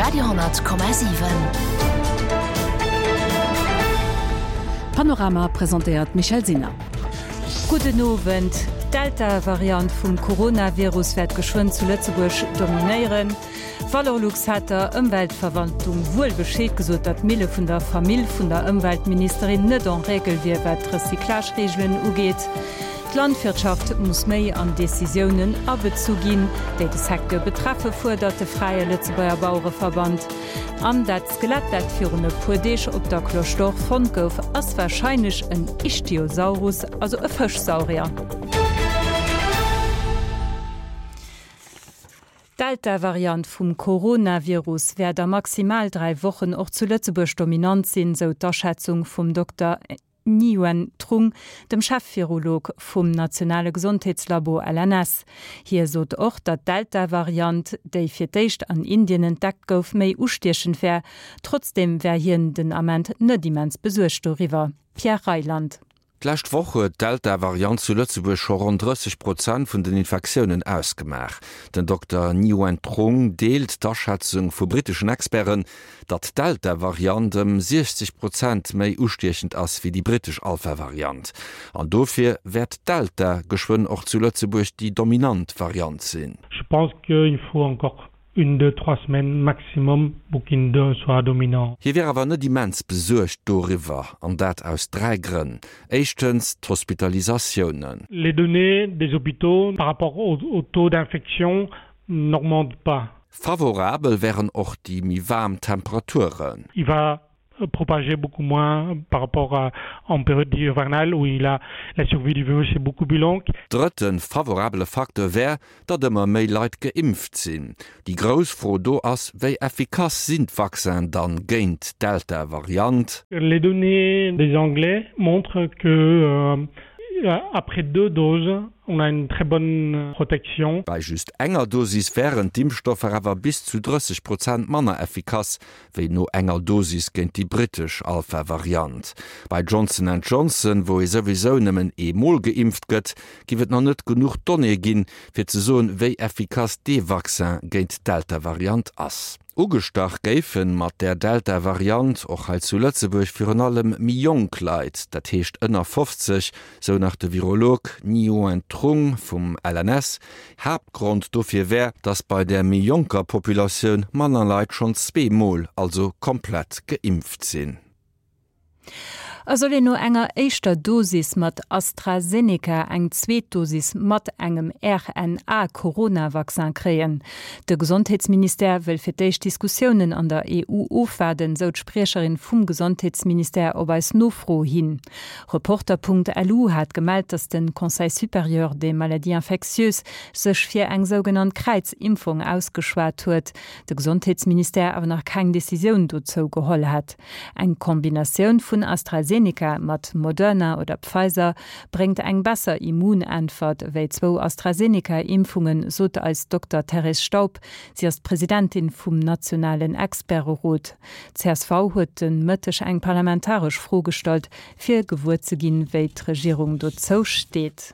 Radio,7. Panorama presentéiert d'Michèle Sinner. Gudden Owend. D'Delta-Variant vum Coronavirus wäert geschwënn zu Lëtzebuerg dominéieren. Valorlux hat der Ëmweltverwaltung wuel Bescheed gesot, datt d'Mille vun der Famill vun der Ëmweltministerin net en règle wier, wat d'Recyclage-Reegelen ugeet. D'Landwirtschaft muss méi an Decisiounen abezu ginn, déi de Secteur betreffe, fuerdert de Fräie Lëtzebuerger Bauereverband. An dat Skelett, dat virun e puer Deeg op der Cloche d'Or fonnt gouf, ass warscheinlech en Ichthyosaurus, also e Fëschsaurier. D'Delta-Variant vum Coronavirus wäert a maximal 3 Wochen och zu Lëtzebuerg dominant sinn, sou d'Aschätzung vum Dokter Nguyen Trung, dem Chef-Virolog vum nationale Gesondheetslabo LNS. Hie sot och, datt d'Delta-Variant, déi fir d'éischt an Indien entdeckt gouf, méi ustiechend wär. Trotzdeem wär hien den Ament net immens besuergt doriwwer. Pierre Reyland. D'lescht Woch huet d'Delta-Variant zu Lëtzebuerg scho ronn 30 Prozent vun den Infektiounen ausgemaach. Den Dokter Nguyen Trung deelt d'Aschätzung vu britteschen Experten, datt d'Delta-Variant ëm 60 Prozent méi ustiechend ass wéi déi brittesch Alpha-Variant. An dofir wäert d'Delta geschwënn och zu Lëtzebuerg déi dominant Variant sinn. Je pense qu'il faut encore une, deux, trois semaines maximum pour qu'une deux soit dominant. Hie wier awer net immens besuergt doriwwer, an dat aus 3 Grënn. Éischtens d'Hospitalisatiounen. Les données des hôpitaux par rapport au au taux d'infection n'augmentent pas. Favorabel wären och déi méi waarm Temperaturen. Il va propager beaucoup moins par rapport à en période hivernale où il a la survie du virus est beaucoup plus longue. Drëtte favorabele Facteur wär, datt ëmmer méi Leit geimpft sinn. Déi grouss Fro do ass, wéi effikass sinn d'Vaccinen dann géint d'Delta-Variant? Les données des Anglais montrent que après deux doses, on a une très bonne protection. Bei just enger Dosis wären d'Impfstoffer awer bis zu 30 Prozent manner effikass wéi no enger Dosis géint déi brittesch Alpha-Variant. Bei Johnson and Johnson, wou ee souwisou nëmmen ee Mol geimpft gëtt, giff et nach net genuch Donnéeë ginn, fir ze soen, wéi effikass dee Vaccin géint d'Delta-Variant ass. Ugestach géife mat där Delta-Variant och hei zu Lëtzebuerg virun allem méi jonk Leit, dat heescht ënner 50, sou nach de Virolog Nguyen Trung vum LNS. Haaptgrond dofir wär, datt bei där méi jonker Populatioun manner Leit schonn zweemol, also komplett geimpft sinn. A soll een no enger éischter Dosis mat AstraZeneca eng zweet Dosis mat engem RNA-Corona-Vaccin kréien? De Gesondheetsministère wëll fir d'éischt Diskussiounen an der EU ofwaarden, sou d'Spriecherin vum Gesondheetsministère op eis Nofro hin. Reporter.lu hat gemellt, datt de Conseil supérieur des maladies infectieuses sech fir eng sougenannt Kräizimpfung ausgeschwat huet, de Gesondheetsministère awer nach keng Decisioun dozou geholl hätt. Eng Kombinatioun vun AstraZeneca mat Moderna oder Pfizer bréngt eng besser Immunäntwert wéi zwou AstraZeneca-Impfungen, sot eis Dokter Thérèse Staub. Si ass d'Presidentin vum nationalen Experterot. Csv huet de Mëtteg eng parlamentaresch Fro gestallt, fir gewuer ze ginn, wéi d'Regierung dozou steet.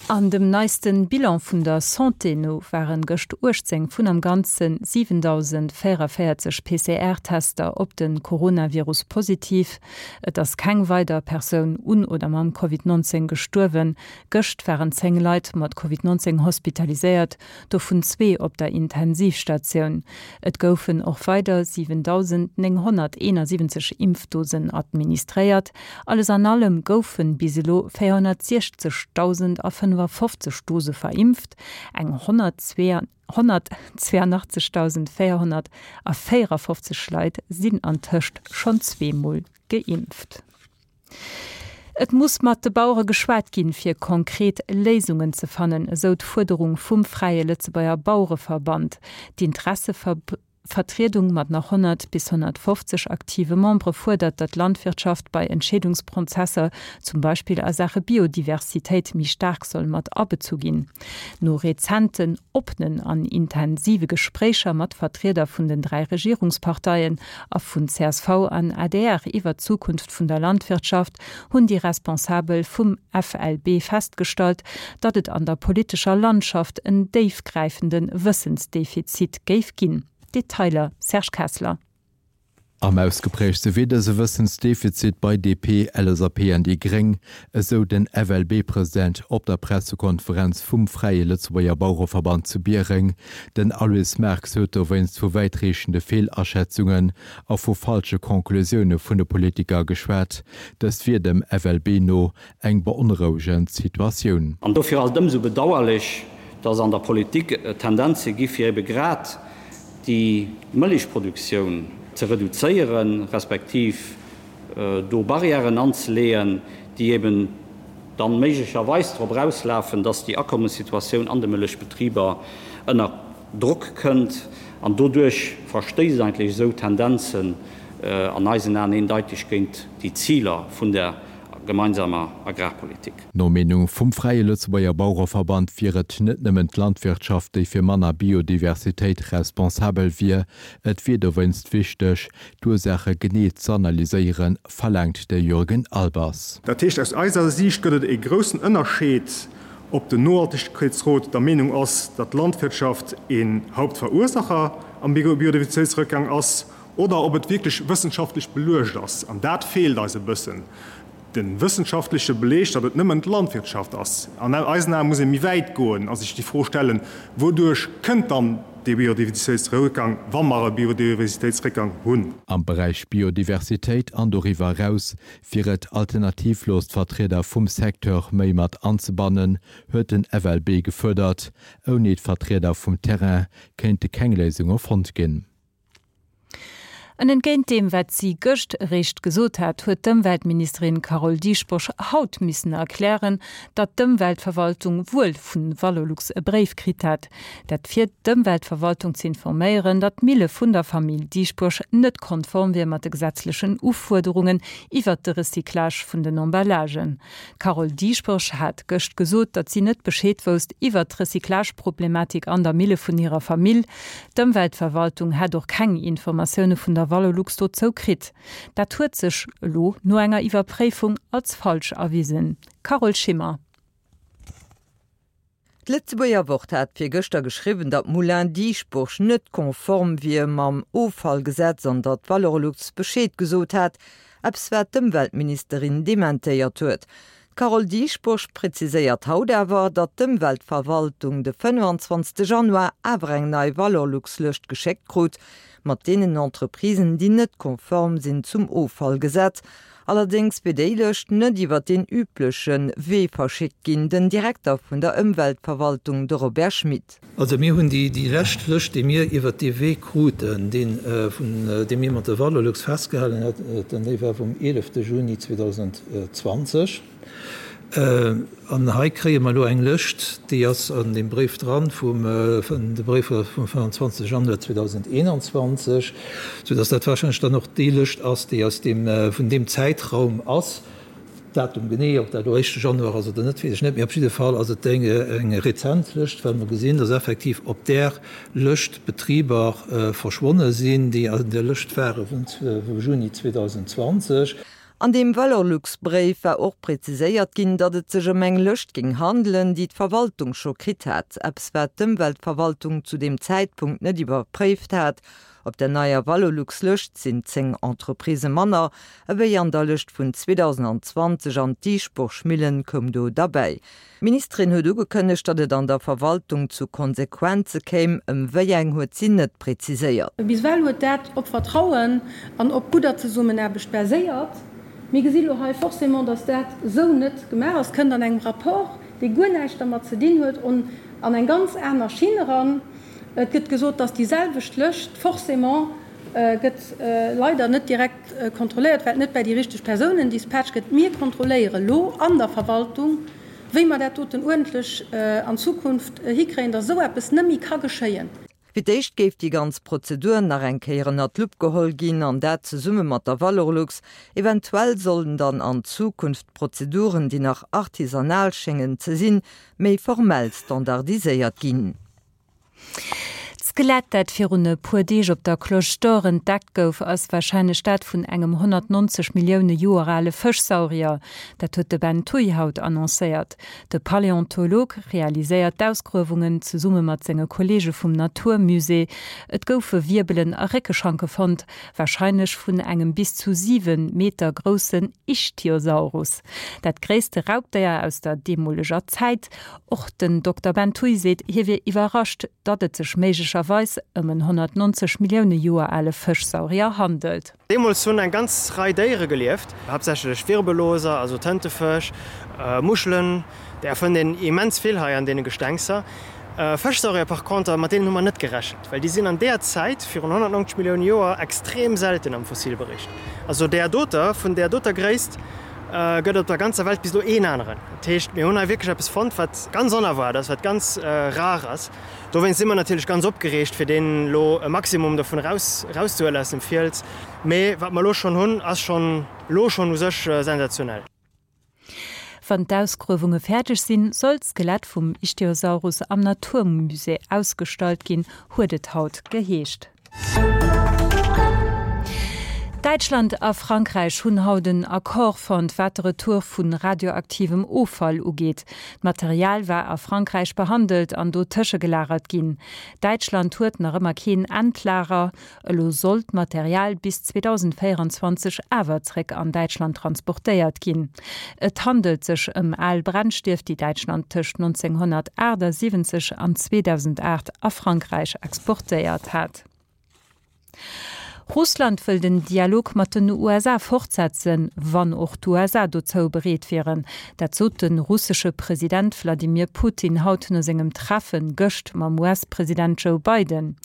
An dem neiste Bilan vun der Santé no waren gëscht 18 vun am Ganze 7.044 PCR-Tester op de Coronavirus positiv. Et ass keng weider Persoun un oder mam Covid 19 gestuerwen. Gëscht waren 10 Leit mat Covid 19 hospitaliséiert, dovun zwee op der Intensivstatioun. Et goufen och weider 7.971 Impfdosen administréiert. Alles an allem goufe bis elo 460.055 Dose verimpft, eng 182.454 Leit sinn antëscht schonn zweemol geimpft. Et muss mat de Bauere geschwat ginn, fir konkret Léisungen ze fannen, esou d'Fuerderung vum Fräie Lëtzebuerger Bauereverband. Vertriedung mat nach 100 bis 150 aktive Membere fuerdert, datt d'Landwirtschaft bei Entscheedungsprozesser, zum Beispill a Saache Biodiversitéit, méi staark soll mat abezu ginn. No rezenten oppenen an intensive Gespréicher mat Vertrieder vun den 3 Regierungsparteien a vun csv an adr iwwer d'Zukunft vun der Landwirtschaft hunn déi Responsabel vum FLB festgestallt, datt et an der politescher Landschaft en déifgräifende Wëssensdefizit géif ginn. Detailer Serge Kessler. Am ausgeprägtste wier dëse Wëssensdefizit bei DP, LSAP an déi Gréng, esou den FLB-President op der Pressekonferenz vum Fräie Lëtzebuerger Bauereverband zu Biereng. Den Aloyse Marx huet dowéinst vu wäitreechende Feelaschätzungen a vu falsche Conclusioune vun de Politiker geschwat. Dëst wier dem FLB no eng beonrouegend Situatioun. An dofir ass et ëmsou bedauerlech, dass an der Politik et Tendenze gi fir ebe grad déi Mëllechproduktioun ze reduzéieren, respektiv do Barrièren anzeleeën, déi eben dann méiglecherweis drop erauslafen, dass déi Akommessituatioun an de Mëllechbetriber ënner Drock kënnt. An doduerch verstéisst eigentlech esou Tendenzen an eisen Aen eendeiteg géint déi Ziler vun der gemeinsamer Agrarpolitik. No Meenung vum Fräie Lëtzebuerger Bauereverband wier et net nëmmen d'Landwirtschaft, déi fir manner Biodiversitéit responsabel wier. Et wier dowéinst wichteg, d'Ursaache genee z'analyséieren, verlaangt de Jürgen Albers. Dat heescht, aus eiser Siicht gëtt et e groussen Ënnerscheed, ob den Nohaltegkeetsrot der Meenung ass, datt d'Landwirtschaft een Hauptverursacher am Biodiversitéitsrëckgang ass, oder ob et wierklech wëssenschaftlech beluecht ass. An dat feelt eis e bëssen, de wëssenschaftleche Beleg, datt et nëmmen d'Landwirtschaft ass. An eisen Ae muss ee méi wäit goen a sech déi Fro stellen, Wouduerch kënnt dann dee Biodiversitéitsrëckgang, wa mer e Biodiversitéitsrëckgang hunn? Am Beräich Biodiversitéit an doriwwer eraus Fir et alternativlos d'Vertrieder vum Secteur méi mat anzebannen, huet den FLB gefuerdert. Ouni d'Vertrieder vum Terrain kéinte keng Léisunge fonnt ginn. An entgéint deem, wat si gëscht eréischt gesot hat, huet d'Ëmweltministerin Carole Dieschbourg haut missen erklären, datt d'Ëmweltverwaltung wuel vu Valorlux e Bréif kritt hat, Dat fir d'Ëmweltverwaltung ze informéieren, datt d'Mille vun der Famill Dieschbourg net konform wier mat de gesetzlechen Ufuerderungen iwwert de Recyclage vun den Emballagen. D'Carole Dieschbourg hat gëscht gesot, datt si net Bescheed wousst iwwert d'Recyclageproblematik an der Mille vun hirer Famill. D'Ëmweltverwaltung hätt och keng Informatioune vun der Valorlux dozou kritt. Dat huet sech elo no enger Iwwerpréifung als falsch erwisen. Carole Schimmer. D'Lëtzebuerger Wort hat virgëschter geschriwwen, datt Moulin Dieschbourg net konform wier mam Offallgesetz an datt Valorlux Bescheed gesot hat, eppes wat d'Ëmweltministerin dementéiert huet. D'Carole Dieschbourg präziséiert haut awer, datt d'Ëmweltverwaltung de 25 Januar awer eng nei Valorlux-Lëscht geschéckt krut mat deenen Entreprisen, déi net konform sinn zum Offallgesetz Allerdéngs wier déi Lëscht net iwwer deen übleche Wee verschickt ginn, den Direkter vun der Ëmweltverwaltung, de Robert Schmit. Also mir hunn déi déi lescht Lëscht, déi mir iwwer dee Wee kruten, deen vun dee mir mat der Valorlux festgehalen haten, déi war vum 11 Juni 2020. An hei kréie mer elo eng Lëscht, déi ass an deem Bréif dran, vum, de Bréif ass vum 25 Januar 2021, soudass dat wahrscheinlech dann och déi Lëscht ass, déi aus deem, vun deem Zäitraum ass. Datum genee, ob dat elo éischte Januar ass oder net, weess ech net, mee op jidde Fall ass et eng rezent Lëscht, well mer gesinn, dass effektiv op där Lëscht Betriber verschwonne sinn, déi an der Lëscht ware vum Juni 2020. An deem Valorlux-Bréif war och präziséiert ginn, datt et sech ëm eng Lëscht géing handelen, déi d'Verwaltung scho kritt hat. Eppes wat d'Ëmweltverwaltung zu deem Zäitpunkt net iwwerpréift hat. Op der neier Valorlux-Lëscht sinn 10 Entreprisë manner ewéi an der Lëscht vun 2020 an d'Dischburg-Millen koum do derbäi. D'Ministerin huet ugekënnegt, datt et an der Verwaltung zu Konsequenze kéim. Ëm wéi eng huet si net preziséiert. Bis ewell huet dat op Vertrauen an op gudder Zesummenaarbecht baséiert. Mir gesi lo hei forcément, datt dat esou net gemaach ass. Kënnt an engem Rapport, dee guer näischt dermat ze dinn huet, an eng ganz aner Schinn eran. Et gëtt gesot, datt déi selwecht Lëscht forcément gëtt leider net direkt kontrolléiert, well et net bäi déi richteg Persounen dispatcht gëtt. Mir kontrolléiere lo an der Verwaltung, wéi mer dat doten uerdentlech an Zukunft hikréien, dass esou eppes nëmmi ka geschéien. Fir d'éischt géif déi ganz Prozedur nach eng Kéier ënnert d'Lupp geholl ginn, an dat zesumme mat der Valorlux. Eventuell sollen dann an Zukunft d'Prozeduren, déi nach artisanal schéngen ze sinn, méi formell standardiséiert ginn. D'Skelett, dat virun e puer Deeg op der Cloche d'Or entdeckt gouf, ass warscheinlech dat vun engem 190 Millioune Joer ale Fëschsaurier. Dat huet de Ben Thuy haut annoncéiert. De Paläontolog realiséiert d'Ausgruewungen zesumme mat senge Kolleege vum Naturmusée. Et goufe Wierbelen a Réckeschanke fonnt, warscheinlech vun engem bis zu 7 Meter groussen Ichthyosaurus, dat gréisste Raubdéier aus der deemoleger Zäit. Och den Dokter Ben Thuy seet, hie wier iwwerrascht, datt et sech méiglecherweis ëm en 190 Millioune Joer ale Fëschsaurier handelt. Deemools hunn eng ganz Rei Déiere gelieft, haaptsächlech Wirbelloser, also Tëntefësch, Muschelen, där fënnt een immens vill hei an deene Gestengser. Fëschsaurier par conter, mat deenen hu mer net gerechent, well déi sinn an deeër Zäit, virun 190 Millioune Joer, extrem selten am Fossilbericht. Also där doter, vun där doter Gréisst, gëtt op der ganzer Welt bis elo een aneren. Dat heescht, mir hunn hei wierklech eppes fonnt, wat ganz onerwaart ass, wat ganz rar ass. Dowéinst si mer natierlech ganz opgereegt, fir deen elo e Maximum dovun eraus erauszehuelen aus dem Fiels. Mee wat mer elo schonn hunn, ass schonn elo schonn u sech sensationell. Wann d'Ausgruewunge fäerdeg sinn, soll d'Skelett vum Ichthyosaurus am Naturmusée ausgestallt ginn, huet et haut geheescht. Däitschland a Frankräich hunn haut en Accord fonnt, wat de Retour vu radioaktivem Offall ugeet. D'Material war a Frankräich behandelt an do tëschegelagert ginn. Däitschland huet nach ëmmer keen Endlager. Elo soll d'Material bis 2024 awer zréck an Däitschland transportéiert ginn. Et handelt sech ëm al Brennstief, déi Däitschland tëscht 1978 an 2008 a Frankräich exportéiert hat. Russland wëll den Dialog mat den USA fortsetzen, wann och d'USA dozou bereet wieren. Dat sot de russesche President Wladimir Putin haut no sengem Treffe gëscht mam US-President Joe Biden.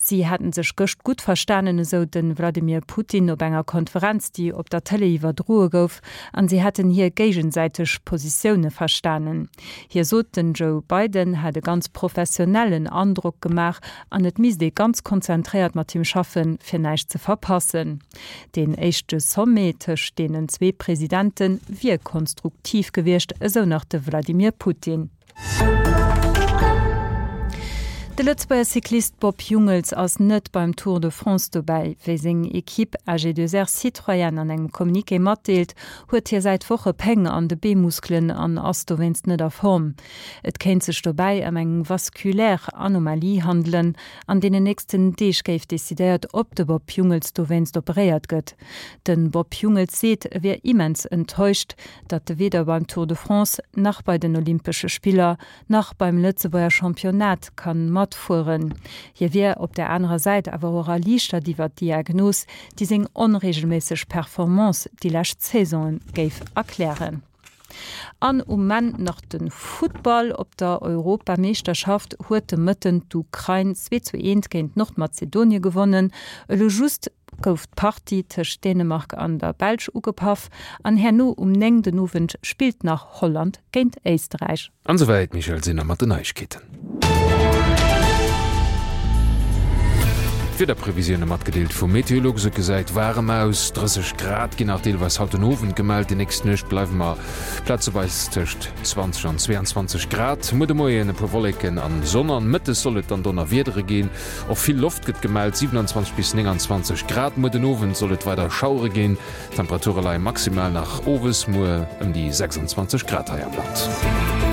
Si hätten sech gëscht gutt verstanen, esou de Wladimir Putin op enger Konferenz, déi op der Tëlee iwwerdroe gouf, an si hätten hir géigesäiteg Positioune verstanen. Hie sot, den Joe Biden hätt e ganz professionellen Androck gemaach an et misst ee ganz konzentréiert mat him schaffen, fir näischt ze verpassen. Deen éischte Sommet tëscht deenen zwee Presidente wier konstruktiv gewiescht, esou nach de Wladimir Putin. De Lëtzebuerger Cyclist Bob Jungels ass net beim Tour de France dobäi. Wéi seng Ekipp AG2R Citroën an engem Communiqué matdeelt, huet hie säit Woche Péng an de Beemuskelen an ass dowéinst net a Form. Et kéint sech dobäi ëm eng vasculaire Anomalie handelen. An deenen nächsten Deeg géif decidéiert, ob de Bob Jungels dowéinst operéiert gëtt. De Bob Jungels seet, e wier immens enttäuscht, datt e weder beim Tour de France, nach bei den Olympesche Spiller, nach beim Lëtzebuerger Championnat kann matfueren. Hie wier op der anerer Säit awer och erliichtert iwwer d'Diagnos, déi seng onreegelméisseg Performance déi lescht Saisonen géif erklären. An um Enn nach de Futtball, Op der Europameeschterschaft huet de Mëtten d'Ukrain 2 zu 1 géint Nordmazedonie gewonnen. Elo just gouf d'Partie tëscht Dänemark an der Belsch ugepaff an herno um 9 den Owend spillt nach Holland géint Éisterräich. An esouwäit d'Michèle Sinner mat den Neiegkeeten. D'Wiederprevisioune matgedeelt vu Meteolux, Et gesäit waarem aus, 30 Grad ginn nach deelweis haut den Owend gemellt. Déi nächst Nuecht bleiwe mer plazeweis tëscht 20 an 22 Grad. Muer de Moien e puer Wolleken an Sonn an mëttes soll et dann Donnerwiedere ginn. Och vill Loft gëtt gemellt, 27 bis 29 Grad. Muer den Owend soll et weider Schauere ginn, d'Temperature leie maximal nach owes muer ëm déi 26 Grad hei am Land.